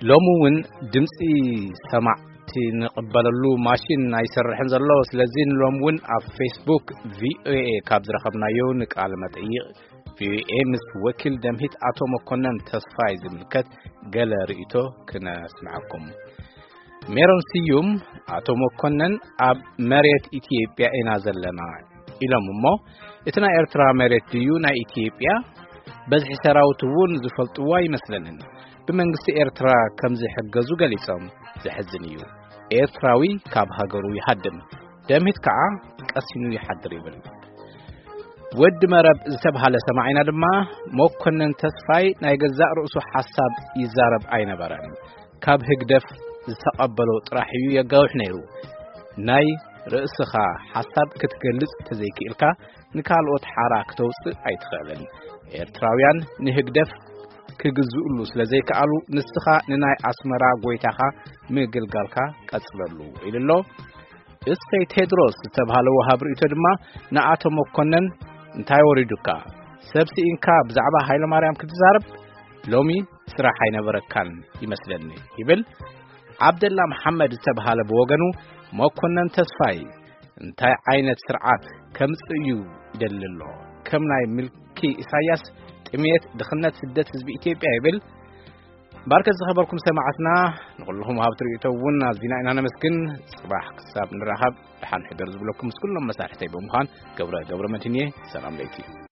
ሎሚ እውን ድምፂ ሰማዕቲ ንቕበለሉ ማሽን ኣይሰርሕን ዘሎ። ስለዚ ንሎም እውን ኣብ ፌስቡክ ቪኦኤ ካብ ዝረኸብናዮ ንቃለ መጠይቕ ቪኦኤ ምስ ወኪል ደምሂት ኣቶ መኮነን ተስፋይ ዝምልከት ገለ ርእይቶ ክነስምዐኩም። ሜሮን ስዩም፣ ኣቶ መኮነን፣ ኣብ መሬት ኢትዮጵያ ኢና ዘለና ኢሎም እሞ፣ እቲ ናይ ኤርትራ መሬት ድዩ ናይ ኢትዮጵያ? በዝሒ ሰራዊት እውን ዝፈልጥዎ ኣይመስለንን። ብመንግስቲ ኤርትራ ከም ዝሕገዙ ገሊጾም። ዘሕዝን እዩ። ኤርትራዊ ካብ ሃገሩ ይሃድም፣ ደምሂት ከዓ ቀሲኑ ይሓድር ይብል። ወዲ መረብ ዝተብሃለ ሰማዒና ድማ፣ መኮነን ተስፋይ ናይ ገዛእ ርእሱ ሓሳብ ይዛረብ ኣይነበረን። ካብ ህግደፍ ዝተቐበሎ ጥራሕ እዩ የጋውሕ ነይሩ። ናይ ርእስኻ ሓሳብ ክትገልጽ ተዘይክእልካ፣ ንካልኦት ሓራ ክተውጽእ ኣይትኽእልን። ኤርትራውያን ንህግደፍ ክግዝኡሉ ስለ ዘይከኣሉ፣ ንስኻ ንናይ ኣስመራ ጎይታኻ ምግልጋልካ ቀጽለሉ፣ ኢሉ ኣሎ። እሰይ ቴድሮስ ዝተብሃለ ወሃብ ርእይቶ ድማ ንኣቶ መኮነን፣ "እንታይ ወሪዱካ? ሰብ ስኢንካ ብዛዕባ ሃይለማርያም ክትዛረብ? ሎሚ ስራሕ ኣይነበረካን ይመስለኒ" ይብል። ዓብደላ መሓመድ ዝተብሃለ ብወገኑ፣ "መኮነን ተስፋይ እንታይ ዓይነት ስርዓት ከምጽእ እዩ ይደሊ ኣሎ? ከም ናይ ምልኪ ኢሳያስ ጥሜት፣ ድኽነት፣ ስደት ህዝቢ ኢትዮጵያ" ይብል። ባርከት ዝኸበርኩም ሰማዕትና፣ ንኹልኹም ወሃብቲ ርእይቶ እውን ኣዚና ኢና ነመስግን። ጽባሕ ክሳብ ንራኸብ ደሓን ሕደሩ ዝብለኩም ምስ ኩሎም መሳርሕተይ ብምዃን ገብረ ገብረ መድህን እየ። ሰላም ለይቲ።